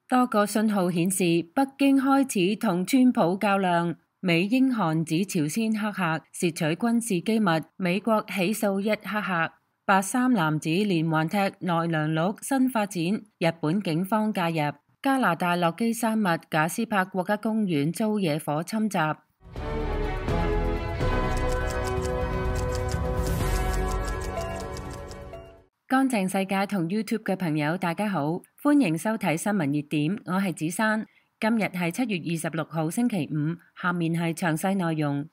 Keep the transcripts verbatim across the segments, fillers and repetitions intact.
多個信號顯示北京開始同川普較量。美英韓指朝鮮黑客竊取軍事機密，美國起訴一黑客。八三男子連環踢奈良鹿新發展，日本警方介入。加拿大落基山脈賈斯柏國家公園遭野火侵襲。乾淨世界同 YouTube 嘅朋友大家好，歡迎收睇新聞熱點，我係子珊。今日係七月二十六號星期五，下面係詳細內容。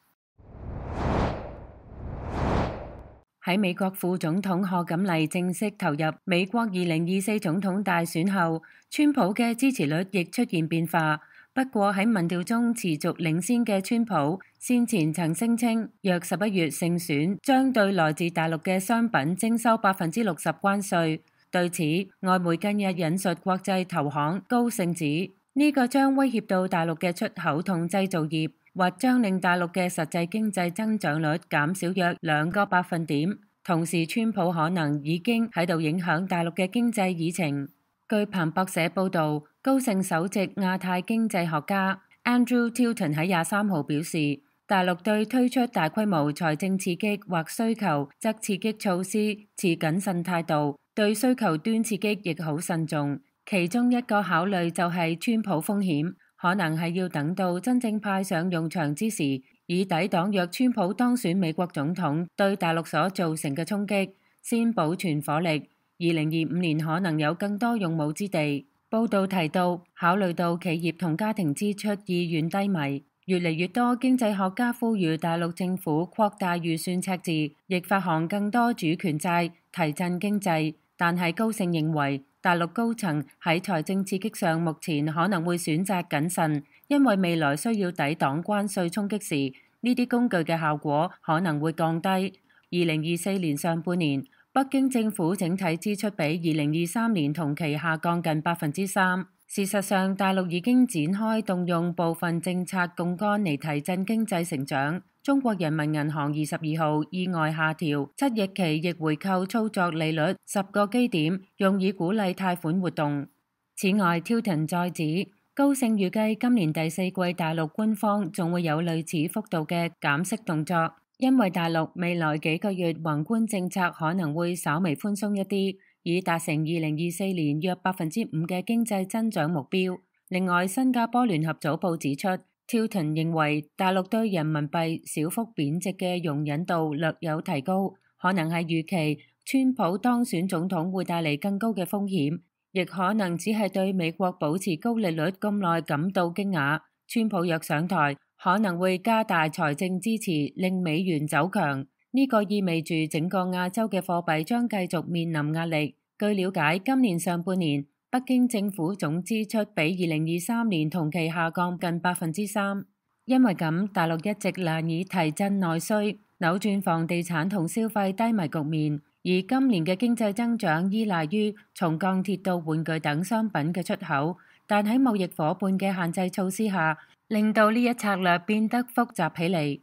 喺美國副總統賀錦麗正式投入美國二零二四總統大選後，川普嘅支持率亦出現變化。不過喺民調中持續領先嘅川普，先前曾聲稱若十一月勝選，將對來自大陸嘅商品徵收百分之六十關稅。對此，外媒近日引述國際投行高盛指，呢個將威脅到大陸嘅出口同製造業，或將令大陸嘅實際經濟增長率減少約兩個百分點。同時，川普可能已經喺度影響大陸嘅經濟議程。據彭博社報導，高盛首席亞太經濟學家 Andrew Tilton 喺廿三號表示，大陸對推出大規模財政刺激或需求則刺激措施持謹慎態度，對需求端刺激亦好慎重。其中一個考慮就係川普風險，可能係要等到真正派上用場之時，以抵擋若川普當選美國總統對大陸所造成嘅衝擊，先保存火力。二零二五年可能有更多用武之地。報道提到，考慮到企業同家庭支出意願低迷，越嚟越多經濟學家呼籲大陸政府擴大預算赤字，亦發行更多主權債，提振經濟。但係高盛認為，大陸高層喺財政刺激上目前可能會選擇謹慎，因為未來需要抵擋關稅衝擊時，呢啲工具嘅效果可能會降低。二零二四年上半年，北京政府整體支出比二零二三年同期下降近百分之三。事實上，大陸已經展開動用部分政策槓桿嚟提振經濟成長。中國人民銀行二十二號意外下調七逆期逆回購操作利率十個基點，用以鼓勵貸款活動。此外 Tilton 再指，高盛預計今年第四季大陸官方仲會有類似幅度嘅減息動作。因為大陸未來幾個月宏觀政策可能會稍微寬鬆一啲，以達成二零二四年約百分之五嘅經濟增長目標。另外，新加坡聯合早報指出 ，Tilton 認為大陸對人民幣小幅貶值嘅容忍度略有提高，可能係預期川普當選總統會帶嚟更高嘅風險，亦可能只係對美國保持高利率咁耐感到驚訝。川普若上台，可能會加大財政支持，令美元走強。呢個意味住整個亞洲嘅貨幣將繼續面臨壓力。據了解，今年上半年北京政府總支出比二零二三年同期下降近百分之三。因為咁，大陸一直難以提振內需，扭轉房地產同消費低迷局面。而今年嘅經濟增長依賴於從鋼鐵到玩具等商品嘅出口，但喺貿易夥伴嘅限制措施下，令到呢一策略變得複雜起嚟。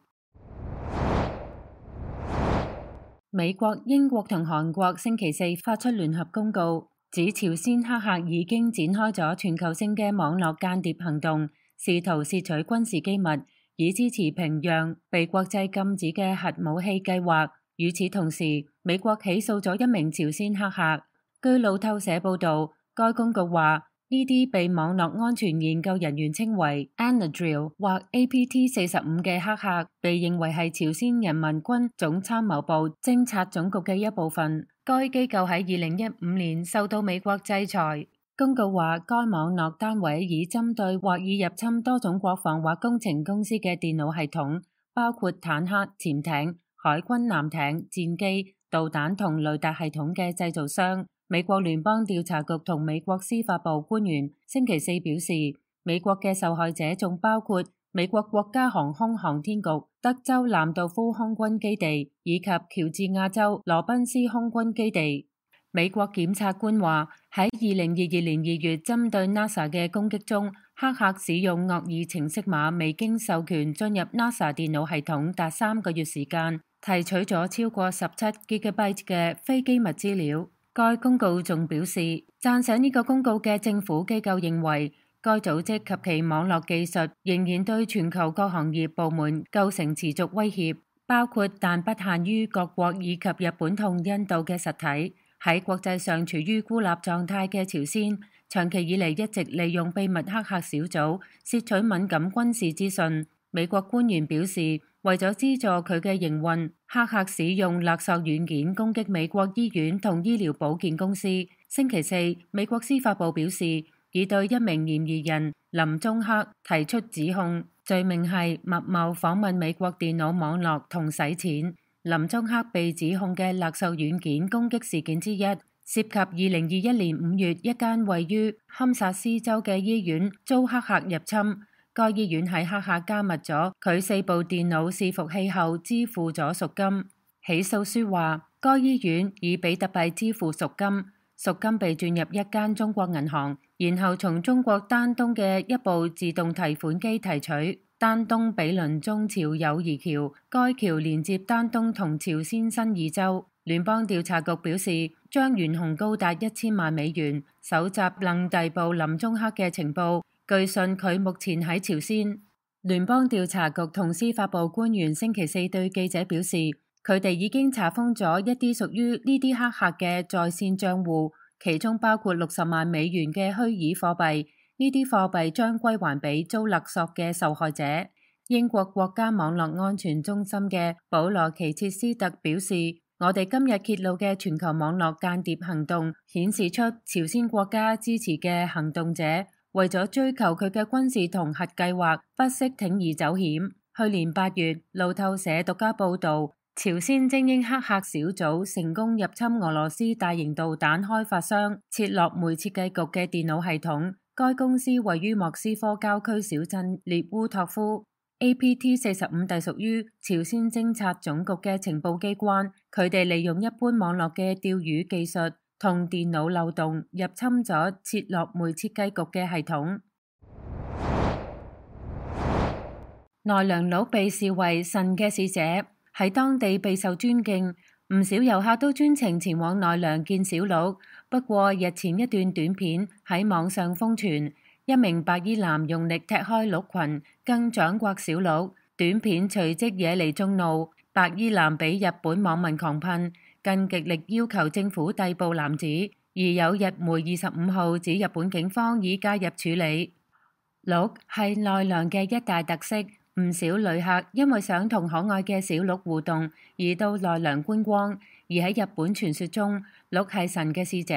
美國、英國同韓國星期四發出聯合公告，指朝鮮黑客已經展開咗全球性嘅網絡間諜行動，試圖竊取軍事機密，以支持平壤被國際禁止嘅核武器計劃。與此同時，美國起訴咗一名朝鮮黑客。據路透社報導，該公告話，呢啲被網絡安全研究人員稱為 Anadril 或 A P T 四十五嘅黑客，被認為係朝鮮人民軍總參謀部偵察總局嘅一部分。該機構喺二零一五年受到美國制裁。公告話，該網絡單位以針對或已入侵多種國防或工程公司嘅電腦系統，包括坦克、潛艇、海軍艦艇、戰機、導彈同雷達系統嘅製造商。美國聯邦調查局同美國司法部官員星期四表示，美國嘅受害者仲包括美國國家航空航天局、德州蘭道夫空軍基地以及喬治亞州羅賓斯空軍基地。美國檢察官話，喺二零二二年二月針對 NASA 嘅攻擊中，黑客使用惡意程式碼未經授權進入 NASA 電腦系統達三個月時間，提取咗超過十七 Gigabyte 嘅非機密資料。該公告仲表示，讚賞呢個公告嘅政府機構認為，該組織及其網絡技術仍然對全球各行業部門構成持續威脅，包括但不限於各國以及日本同印度嘅實體。喺國際上處於孤立狀態嘅朝鮮，長期以嚟一直利用秘密黑客小組竊取敏感軍事資訊。美國官員表示，為咗資助佢嘅營運，黑客使用勒索軟件攻擊美國醫院同醫療保健公司。星期四，美國司法部表示，已對一名嫌疑人林中克提出指控，罪名係密謀訪問美國電腦網絡同洗錢。林中克被指控嘅勒索軟件攻擊事件之一，涉及二零二一年五月一間位於堪薩斯州嘅醫院遭黑客入侵。該醫院喺黑客加密咗佢四部電腦伺服器後支付咗贖金。起訴書話，該醫院以比特幣支付贖金，贖金被轉入一間中國銀行，然後從中國丹東嘅一部自動提款機提取。丹東比鄰中朝友誼橋，該橋連接丹東同朝鮮新義州。聯邦調查局表示，將懸紅高達一千萬美元，搜集能逮捕林中克嘅情報。據信佢目前喺朝鮮。聯邦調查局同司法部官員星期四對記者表示，佢哋已經查封咗一啲屬於呢啲黑客嘅在線賬戶，其中包括六十萬美元嘅虛擬貨幣。呢啲貨幣將歸還俾遭勒索嘅受害者。英國國家網絡安全中心嘅保羅奇切斯特表示，我哋今日揭露嘅全球網絡間諜行動顯示出朝鮮國家支持嘅行動者為咗追求佢嘅軍事同核計劃，不惜鋌而走險。去年八月，路透社獨家報導，朝鮮精英黑客小組成功入侵俄羅斯大型導彈開發商切諾梅設計局嘅電腦系統。該公司位於莫斯科郊區小鎮列烏托夫。A P T 四十五隸屬於朝鮮偵察總局嘅情報機關，佢哋利用一般網絡嘅釣魚技術同電腦漏洞入侵咗切諾梅設計局嘅系統。奈良鹿被視為神嘅使者，喺當地備受尊敬，唔少遊客都專程前往奈良見小鹿。不過日前一段短片喺網上瘋傳，一名白衣男用力踢開鹿群，更掌摑小鹿。短片隨即惹嚟眾怒，白衣男俾日本網民狂噴，更極力要求政府逮捕男子。而有日媒二十五號指日本警方已介入處理。鹿係奈良嘅一大特色，唔少旅客因為想同可愛嘅小鹿互動而到奈良觀光。而喺日本傳說中，鹿係神嘅使者，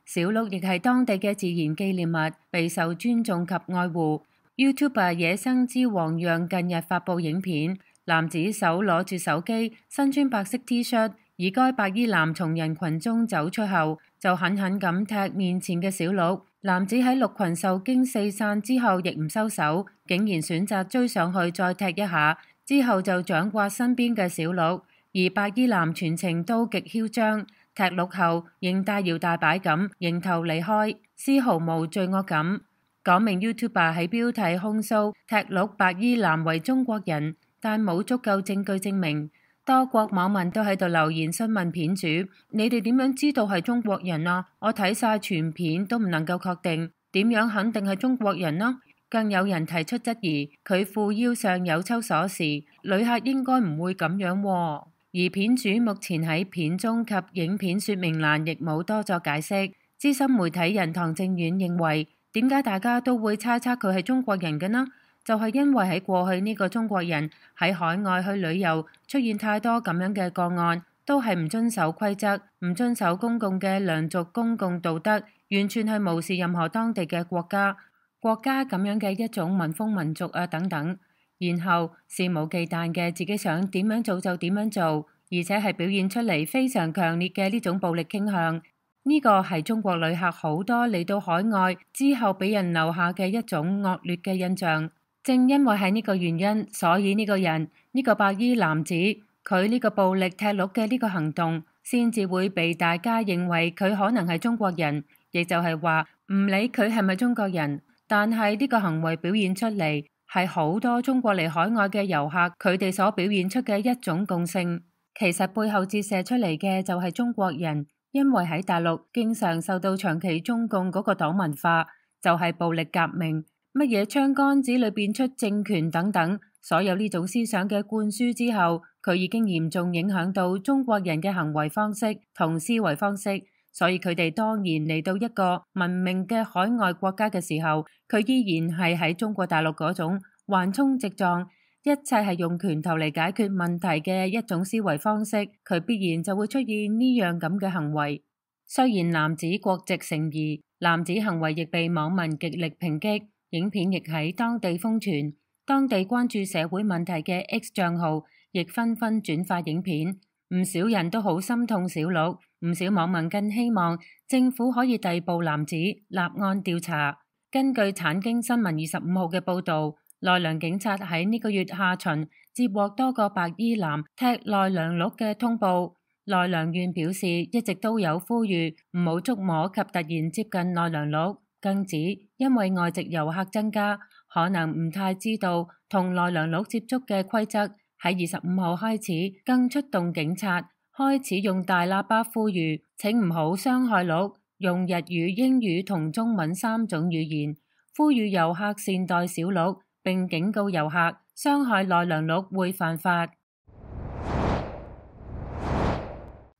小鹿亦係當地嘅自然紀念物，備受尊重及愛護。YouTuber 野生之王讓近日發布影片，男子手攞住手機，身穿白色 T 恤，而該白衣男從人群中走出後，就狠狠咁踢面前嘅小鹿。男子喺鹿群受驚四散之後，亦唔收手，竟然選擇追上去再踢一下，之後就掌摑身邊嘅小鹿。而白衣男全程都極囂張，踢鹿後仍大搖大擺咁迎頭離開，絲毫無罪惡感。嗰名 YouTuber 喺標題控訴踢鹿白衣男為中國人，但冇足夠證據證明。多國網民都喺度留言詢問片主：你哋點樣知道係中國人啊？我睇晒全片都唔能夠確定，點樣肯定係中國人呢？更有人提出質疑，佢褲腰上有抽鎖匙，旅客應該唔會咁樣喎。而片主目前喺片中及影片說明欄亦冇多作解釋。資深媒體人唐正遠認為，點解大家都會猜測佢係中國人嘅呢？就係因為喺過去呢個中國人喺海外去旅遊出現太多咁樣嘅個案，都係唔遵守規則、唔遵守公共嘅良俗公共道德，完全係無視任何當地嘅國家國家咁樣嘅一種民風民俗啊等等。然後肆無忌憚嘅自己想點樣做就點樣做，而且係表現出嚟非常強烈嘅呢種暴力傾向。呢個係中國旅客好多嚟到海外之後俾人留下嘅一種惡劣嘅印象。正因為係呢個原因，所以呢個人呢個白衣男子佢呢個暴力踢鹿嘅呢個行動，先至會被大家認為佢可能係中國人。亦就係話唔理佢係咪中國人，但係呢個行為表現出嚟，係好多中國嚟海外嘅遊客佢哋所表現出嘅一種共性。其實背後折射出嚟嘅就係中國人因為喺大陸經常受到長期中共嗰個黨文化，就係暴力革命，乜嘢槍桿子裏邊出政權等等，所有呢種思想嘅灌輸之後，佢已經嚴重影響到中國人嘅行為方式同思維方式，所以佢哋當然嚟到一個文明嘅海外國家嘅時候，佢依然係喺中國大陸嗰種橫衝直撞，一切係用拳頭嚟解決問題嘅一種思維方式，佢必然就會出現呢樣咁嘅行為。雖然男子國籍成疑，男子行為亦被網民極力抨擊，影片亦喺當地瘋傳，當地關注社會問題嘅 X 賬號亦紛紛轉發影片，唔少人都好心痛小鹿，唔少網民更希望政府可以逮捕男子，立案調查。根據產經新聞二十五號嘅報導，奈良警察喺呢個月下旬接獲多個白衣男踢奈良鹿嘅通報。奈良縣表示一直都有呼籲唔好觸摸及突然接近奈良鹿，更指因為外籍遊客增加，可能唔太知道同奈良鹿接觸嘅規則。喺二十五號開始，更出動警察，開始用大喇叭呼籲請唔好傷害鹿，用日語、英語同中文三種語言，呼籲遊客善待小鹿，並警告遊客傷害奈良鹿會犯法。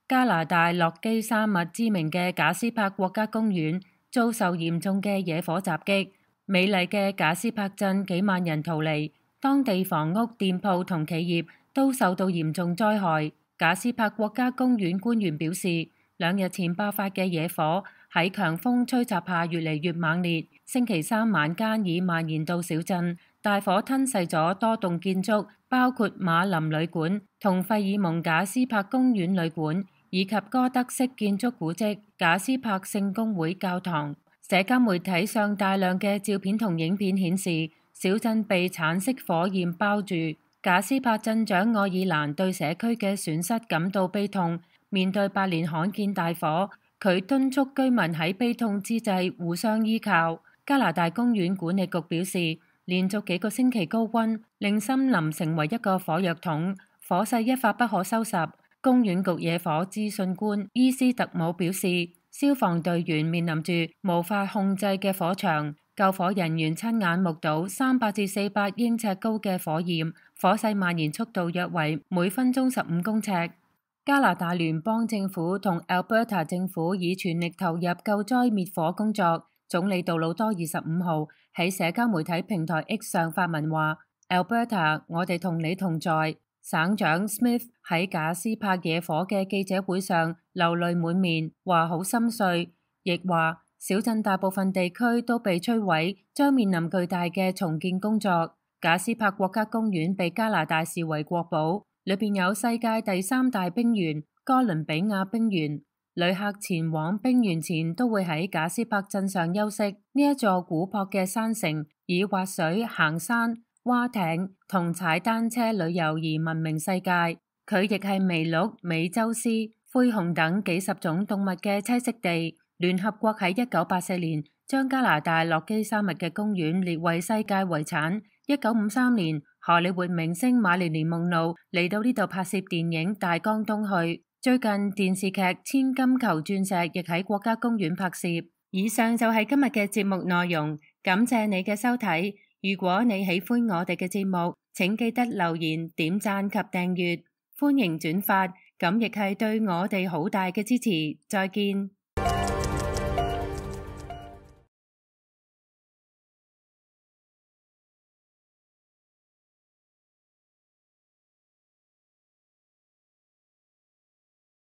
加拿大落基山脈知名嘅賈斯柏國家公園遭受嚴重嘅野火襲擊，美麗嘅賈斯柏鎮幾萬人逃離，當地房屋、店鋪同企業都受到嚴重災害。賈斯柏國家公園官員表示，兩日前爆發嘅野火喺強風吹襲下越嚟越猛烈，星期三晚間已蔓延到小鎮，大火吞噬咗多棟建築，包括馬林旅館同費爾蒙賈斯柏公園旅館，以及哥德式建築古蹟賈斯柏聖公會教堂。社交媒體上大量嘅照片同影片顯示，小鎮被橙色火焰包住。賈斯柏鎮長愛爾蘭對社區嘅損失感到悲痛，面對百年罕見大火，佢敦促居民喺悲痛之際互相依靠。加拿大公園管理局表示，連續幾個星期高溫令森林成為一個火藥桶，火勢一發不可收拾。公園局野火資訊官伊斯特姆表示，消防隊員面臨住無法控制嘅火場，救火人員親眼目睹三百至四百英尺高嘅火焰，火勢蔓延速度約為每分鐘十五公尺。加拿大聯邦政府同 Alberta 政府已全力投入救災滅火工作。總理杜魯多二十五號喺社交媒體平台 X 上發文話 ：Alberta， 我哋同你同在。省長 Smith 喺賈斯柏野火嘅記者會上流淚滿面，話好心碎，亦話小鎮大部分地區都被摧毀，將面臨巨大嘅重建工作。賈斯柏國家公園被加拿大視為國寶，裏邊有世界第三大冰原哥倫比亞冰原，旅客前往冰原前都會喺賈斯柏鎮上休息。呢一座古樸嘅山城以滑水、行山、划艇同踩單車旅遊而聞名世界，佢亦係麋鹿、美洲獅、灰熊等幾十種動物嘅棲息地。聯合國喺一九八四年將加拿大落基山脈嘅公園列為世界遺產。一九五三年，荷里活明星瑪麗蓮夢露嚟到呢度拍攝電影《大江東去》。最近電視劇《千金求鑽石》亦喺國家公園拍攝。以上就係今日嘅節目內容，感謝你嘅收睇。如果你喜歡我哋嘅節目，請記得留言、點讚及訂閱，歡迎轉發，咁亦係對我哋好大嘅支持。再見。